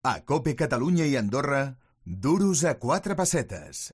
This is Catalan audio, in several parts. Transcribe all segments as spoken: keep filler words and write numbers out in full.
A COPE Catalunya i Andorra, duros a quatre pessetes.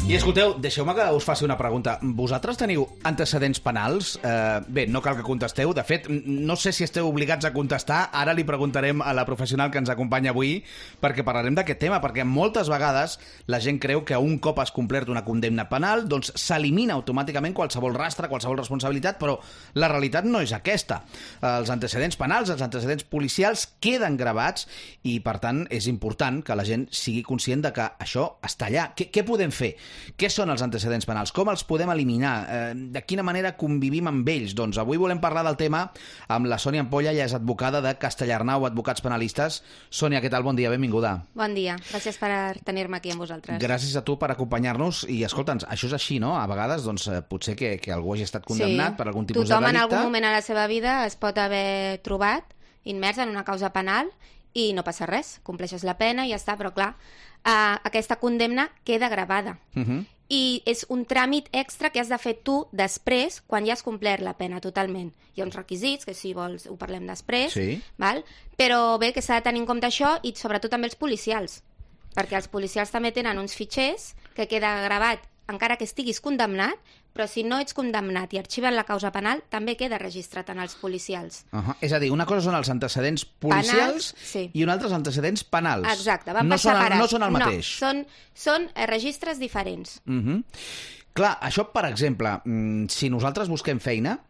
I escolteu, deixeu-me que us faci una pregunta. Vosaltres teniu antecedents penals? Eh, bé, no cal que contesteu. De fet, no sé si esteu obligats a contestar. Ara li preguntarem a la professional que ens acompanya avui, perquè parlarem d'aquest tema, perquè moltes vegades la gent creu que un cop has complert una condemna penal, doncs s'elimina automàticament qualsevol rastre, qualsevol responsabilitat, però la realitat no és aquesta. Els antecedents penals, els antecedents policials queden gravats i, per tant, és important que la gent sigui conscient de que això està allà. Què, què podem fer? Què són els antecedents penals? Com els podem eliminar? Eh, de quina manera convivim amb ells? Doncs avui volem parlar del tema amb la Sònia Ampolla, ella és advocada de Castellarnau, advocats penalistes. Sònia, què tal? Bon dia, benvinguda. Bon dia, gràcies per tenir-me aquí amb vosaltres. Gràcies a tu per acompanyar-nos i escolta'ns, això és així, no? A vegades, doncs, potser que, que algú hagi estat condemnat sí. per algun tipus Tothom de delicte. En algun moment a la seva vida es pot haver trobat immers en una causa penal i no passa res, compleixes la pena i ja està, però clar, Uh, aquesta condemna queda gravada. Uh -huh. I és un tràmit extra que has de fer tu després, quan ja has complert la pena totalment. Hi ha uns requisits, que si vols ho parlem després, sí. val? Però bé, que s'ha de tenir en compte això i sobretot també els policials, perquè els policials també tenen uns fitxers que queda gravat encara que estiguis condemnat, però si no ets condemnat i arxiven la causa penal, també queda registrat en els policials. Uh -huh. És a dir, una cosa són els antecedents policials penals, sí. i una altra els antecedents penals. Exacte, van no per són, separat. No són el mateix. No, són, són eh, registres diferents. Uh -huh. Clar, això, per exemple, si nosaltres busquem feina,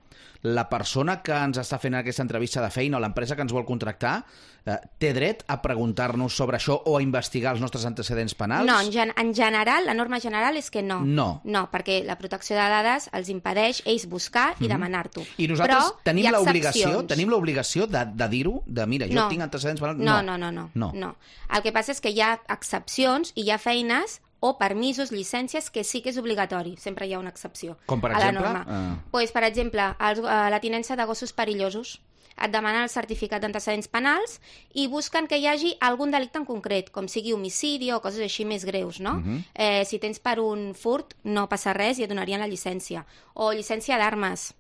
la persona que ens està fent aquesta entrevista de feina o l'empresa que ens vol contractar eh, té dret a preguntar-nos sobre això o a investigar els nostres antecedents penals? No, en, gen en general, la norma general és que no. No. No, perquè la protecció de dades els impedeix ells buscar i mm-hmm. demanar-t'ho. I nosaltres Però tenim l'obligació tenim l'obligació de, de dir-ho? De, mira, jo no. tinc antecedents penals? No. No, no, no, no, no. no. El que passa és que hi ha excepcions i hi ha feines o permisos, llicències, que sí que és obligatori. Sempre hi ha una excepció. Com per a exemple? La norma. Uh... Pues, per exemple, els, uh, la tinença de gossos perillosos. Et demanen el certificat d'antecedents penals i busquen que hi hagi algun delicte en concret, com sigui homicidi o coses així més greus, no? Uh-huh. eh, si tens per un furt, no passa res i et donarien la llicència. O llicència d'armes.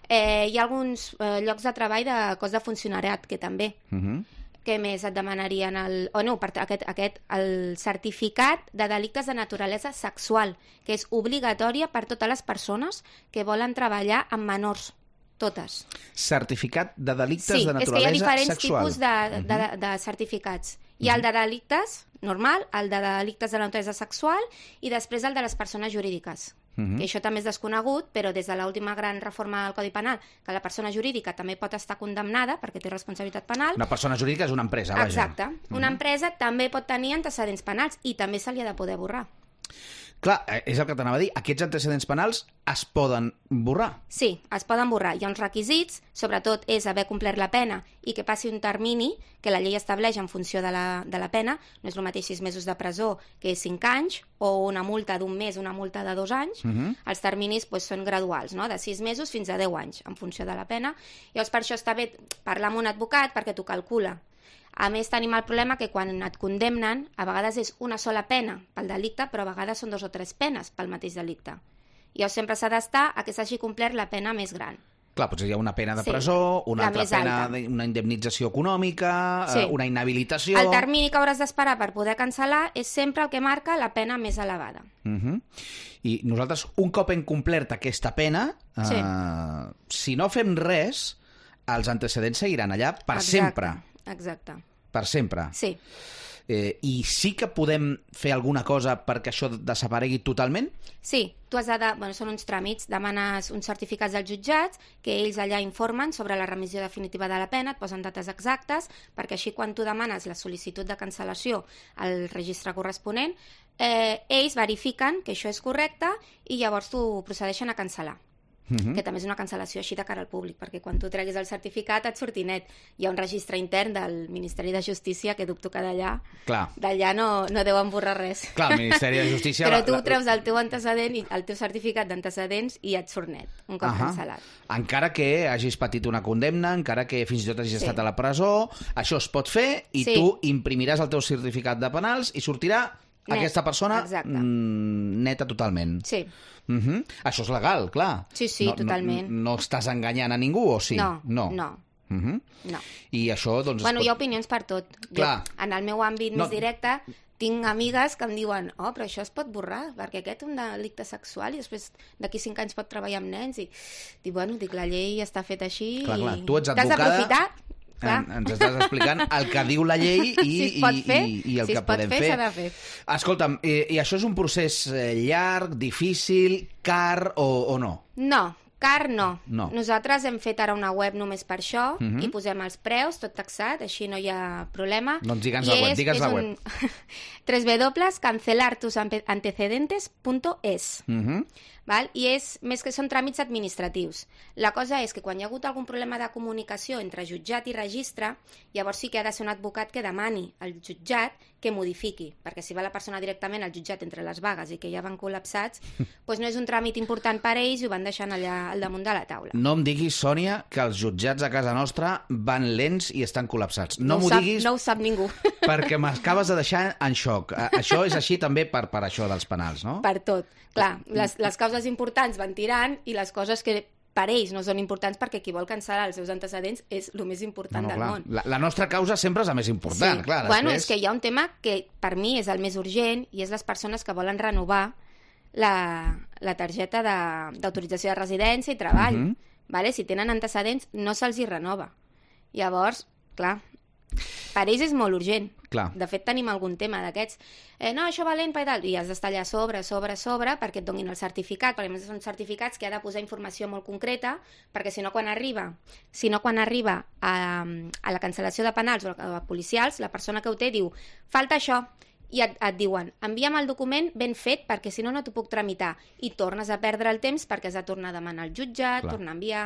Eh, hi ha alguns eh, llocs de treball de cos de funcionariat, que també... Uh-huh. Què més et demanarien? El, o no, per aquest, aquest, el certificat de delictes de naturalesa sexual, que és obligatòria per totes les persones que volen treballar amb menors, totes. Certificat de delictes sí, de naturalesa sexual. Sí, és que hi ha diferents sexual. tipus de, de, de, de certificats. Hi ha el de delictes normal, el de delictes de naturalesa sexual i després el de les persones jurídiques. Uh-huh. Que això també és desconegut, però des de l'última gran reforma del Codi Penal, que la persona jurídica també pot estar condemnada perquè té responsabilitat penal. Una persona jurídica és una empresa, vaja. Exacte. Uh-huh. Una empresa també pot tenir antecedents penals i també se li ha de poder borrar. Clar, és el que t'anava a dir. Aquests antecedents penals es poden borrar. Sí, es poden borrar. Hi ha uns requisits, sobretot és haver complert la pena i que passi un termini que la llei estableix en funció de la, de la pena. No és el mateix sis mesos de presó que cinc anys, o una multa d'un mes, una multa de dos anys. Uh-huh. Els terminis doncs, són graduals, no? De sis mesos fins a deu anys, en funció de la pena. Llavors, per això està bé parlar amb un advocat perquè t'ho calcula. A més, tenim el problema que quan et condemnen, a vegades és una sola pena pel delicte, però a vegades són dos o tres penes pel mateix delicte. I llavors sempre s'ha d'estar a que s'hagi complert la pena més gran. Clar, potser hi ha una pena de presó, sí, una altra pena, alta. Una indemnització econòmica, sí. una inhabilitació... El termini que hauràs d'esperar per poder cancel·lar és sempre el que marca la pena més elevada. Uh-huh. I nosaltres, un cop hem complert aquesta pena, sí. eh, si no fem res, els antecedents seguiran allà per Exacte. sempre. Exacte. Per sempre. Sí. Eh, I sí que podem fer alguna cosa perquè això desaparegui totalment? Sí, tu has de... Bueno, són uns tràmits, demanes uns certificats dels jutjats que ells allà informen sobre la remissió definitiva de la pena, et posen dates exactes, perquè així quan tu demanes la sol·licitud de cancel·lació al registre corresponent, eh, ells verifiquen que això és correcte i llavors t'ho procedeixen a cancel·lar. Uh-huh. Que també és una cancel·lació així de cara al públic, perquè quan tu treguis el certificat et surti net. Hi ha un registre intern del Ministeri de Justícia que dubto que d'allà d'allà no, no deuen borrar res. Clar, el Ministeri de Justícia... Però tu la, la... treus el teu antecedent, i el teu certificat d'antecedents i et surt net, un cop uh-huh. cancel·lat. Encara que hagis patit una condemna, encara que fins i tot hagis sí. estat a la presó, això es pot fer i sí. tu imprimiràs el teu certificat de penals i sortirà net. Aquesta persona mm, neta totalment. Sí. Uh-huh. Això és legal, clar. Sí, sí, no, totalment. No, no estàs enganyant a ningú, o sí? No, no. no. Uh-huh. No. I això, doncs... Bueno, pot... hi ha opinions per tot. Clar. Jo, en el meu àmbit No. més directe, tinc amigues que em diuen oh, però això es pot borrar, perquè aquest és un delicte sexual i després d'aquí cinc anys pot treballar amb nens. I dic, bueno, dic, la llei està feta així Clar, clar. i Tu ets t'has advocada, d'aprofitar. Clar. En, ens estàs explicant el que diu la llei i, si es pot i, fer, i, i el si que es pot podem fer, fer. s'ha de fer. Escolta'm, i, i això és un procés eh, llarg, difícil, car o, o no? No, car no. No. Nosaltres hem fet ara una web només per això Mhm. i posem els preus, tot taxat, així no hi ha problema. Doncs digue'ns I la web, és- digues és la un- web. doble u doble u doble u punt cancelar tus antecedentes punt es. Uh-huh. Val? I és més que són tràmits administratius. La cosa és que quan hi ha hagut algun problema de comunicació entre jutjat i registre, llavors sí que ha de ser un advocat que demani al jutjat que modifiqui, perquè si va la persona directament al jutjat entre les vagues i que ja van col·lapsats, doncs no és un tràmit important per a ells i ho van deixant allà al damunt de la taula. No em diguis, Sònia, que els jutjats a casa nostra van lents i estan col·lapsats. No, ho m'ho sap, diguis no ho sap ningú. perquè m'acabes de deixar en xoc. A- Això és així també per, per això dels penals, no? Per tot. Clar, les, les causes importants van tirant i les coses que per ells no són importants perquè qui vol cancel·lar els seus antecedents és el més important No, no, del clar. món. La, la nostra causa sempre és la més important, Sí. clar. Bueno, després... és que hi ha un tema que per mi és el més urgent i és les persones que volen renovar la, la targeta de- d'autorització de, de residència i treball. Mhm. Vale? Si tenen antecedents, no se'ls hi renova. Llavors, clar, per ells és molt urgent. Clar. De fet, tenim algun tema d'aquests. Eh, no, això valent, i tal. I has d'estar allà a sobre, a sobre, a sobre, perquè et donin el certificat, perquè a més són certificats que ha de posar informació molt concreta, perquè si no quan arriba, si no quan arriba a, a la cancel·lació de penals o a, a policials, la persona que ho té diu, falta això, i et, et diuen, envia'm el document ben fet perquè si no no t'ho puc tramitar, i tornes a perdre el temps perquè has de tornar a demanar al jutjat, Clar. tornar a enviar...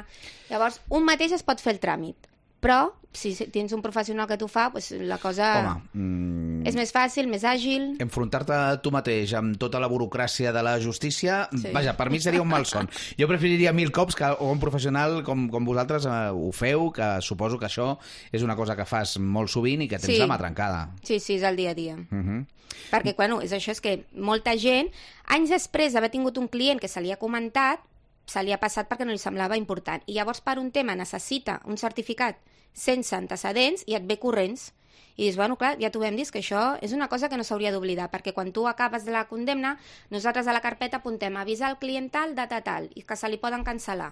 Llavors, un mateix es pot fer el tràmit, però si tens un professional que t'ho fa, doncs la cosa Home, mm, és més fàcil, més àgil... enfrontar-te tu mateix amb tota la burocràcia de la justícia, Sí. vaja, per mi seria un malson. Jo preferiria mil cops que un professional com, com vosaltres eh, ho feu, que suposo que això és una cosa que fas molt sovint i que tens Sí. la mà trencada. Sí, sí, és el dia a dia. Uh -huh. Perquè, bueno, és això, és que molta gent, anys després d'haver tingut un client que se li ha comentat, se li ha passat perquè no li semblava important. I llavors, per un tema, necessita un certificat sense antecedents i et ve corrents. I dius, bueno, clar, ja t'ho vam dir, que això és una cosa que no s'hauria d'oblidar, perquè quan tu acabes de la condemna, nosaltres a la carpeta apuntem avisar el client tal, data tal, i que se li poden cancel·lar.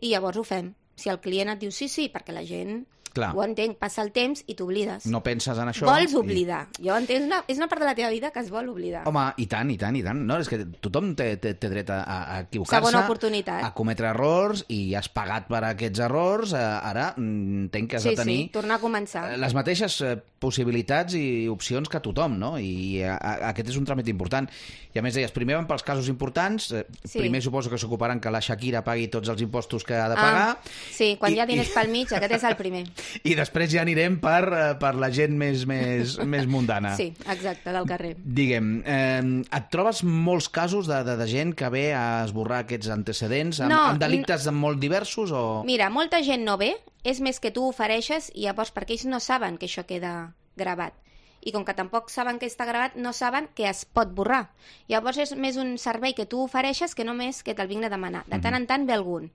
I llavors ho fem. Si el client et diu sí, sí, perquè la gent Clar. ho entenc, passa el temps i t'oblides. No penses en això. Vols i- oblidar. Jo entenc, és una, és una part de la teva vida que es vol oblidar. Home, i tant, i tant, i tant. No, és que tothom té, té, té dret a, a equivocar-se, Segona oportunitat. a cometre errors, i has pagat per aquests errors. Eh, ara mm, entenc que has Sí, de tenir sí, tornar a començar. eh, les mateixes eh, possibilitats i opcions que tothom, no? I a, a, aquest és un tràmit important. I a més deies, primer van pels casos importants, eh, Sí. primer suposo que s'ocuparan que la Shakira pagui tots els impostos que ha de pagar, Ah, sí, quan I- hi ha diners i- pel mig, aquest és el primer. i després ja anirem per, eh, per la gent més, més, més mundana. Sí, exacte, del carrer. Digue'm, eh, et trobes molts casos de, de, de gent que ve a esborrar aquests antecedents amb, No, amb delictes molt diversos o... Mira, molta gent no ve, és més que tu ho ofereixes i llavors perquè ells no saben que això queda gravat. I com que tampoc saben que està gravat, no saben que es pot borrar. Llavors és més un servei que tu ofereixes que només que te'l vinc a demanar. De tant en tant ve algun.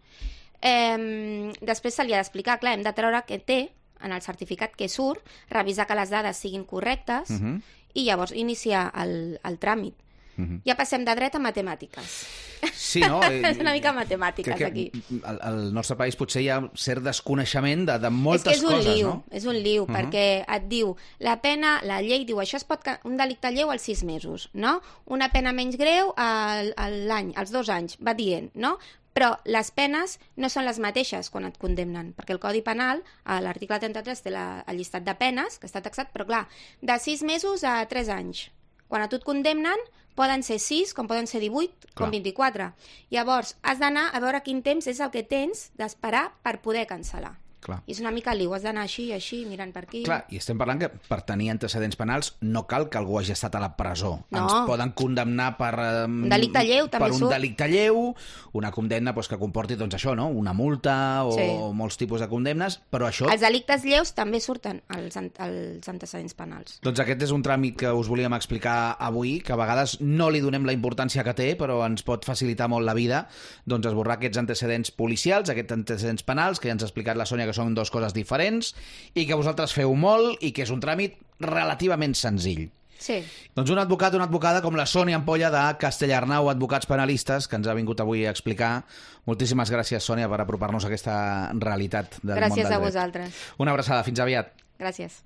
Eh, després se li ha d'explicar, clar, hem de treure que té en el certificat que surt, revisar que les dades siguin correctes Uh -huh. i llavors iniciar el, el tràmit. Uh -huh. Ja passem de dret a matemàtiques. Sí, no? És una mica matemàtiques, Crec que aquí. Al, al nostre país potser hi ha cert desconeixement de, de És moltes que és un coses, liu, no? és un liu, Uh -huh. perquè et diu, la pena, la llei diu, això es pot, ca- un delicte lleu als sis mesos, no? Una pena menys greu al- a l'any, als dos anys, va dient, no? Però les penes no són les mateixes quan et condemnen, perquè el Codi Penal, a l'article trenta-tres, té la, el llistat de penes, que està taxat, però clar, de sis mesos a tres anys. Quan a tu et condemnen, poden ser sis, com poden ser divuit, com Clar. vint-i-quatre. Llavors, has d'anar a veure quin temps és el que tens d'esperar per poder cancel·lar. Clar. I és una mica liu, has d'anar així, així, mirant per aquí. Clar, i estem parlant que per tenir antecedents penals no cal que algú hagi estat a la presó. No. Ens poden condemnar per... Eh, Un delicte lleu, també Per un surt. delicte lleu, una condemna doncs, que comporti doncs, això, no? Una multa o Sí. molts tipus de condemnes, però això... Els delictes lleus també surten als, an- als antecedents penals. Doncs aquest és un tràmit que us volíem explicar avui, que a vegades no li donem la importància que té, però ens pot facilitar molt la vida, doncs esborrar aquests antecedents policials, aquests antecedents penals, que ja ens ha explicat la Sònia que que són dues coses diferents i que vosaltres feu molt i que és un tràmit relativament senzill. Sí. Doncs un advocat o una advocada com la Sònia Ampolla de Castellarnau Advocats Penalistes, que ens ha vingut avui a explicar. Moltíssimes gràcies, Sònia, per apropar-nos a aquesta realitat del Gràcies món del dret. a vosaltres. Una abraçada, fins aviat. Gràcies.